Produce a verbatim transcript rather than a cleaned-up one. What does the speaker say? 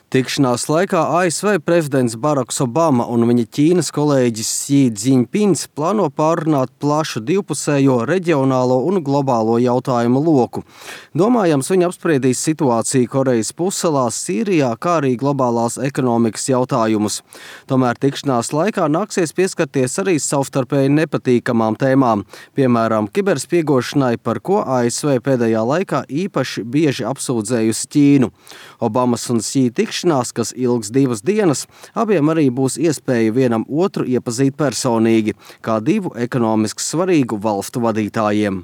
Tikšanās laikā A S V prezidents Baraks Obama un viņa Ķīnas kolēģis Xi Džiņpins plāno pārunāt plašu divpusējo, reģionālo un globālo jautājumu loku. Domājams, viņi apspriedīs situāciju Korejas pussalā, Sīrijā, kā arī globālās ekonomikas jautājumus. Tomēr tikšanās laikā nāksies pieskarties arī savstarpēji nepatīkamām tēmām, piemēram, kiberspiegošanai, par ko A S V pēdējā laikā īpaši bieži apsūdzējusi Ķīnu. Obamas un Xi tikšanās kas ilgs divas dienas, abiem arī būs iespēja vienam otru iepazīt personīgi, kā divu ekonomiski svarīgu valstu vadītājiem.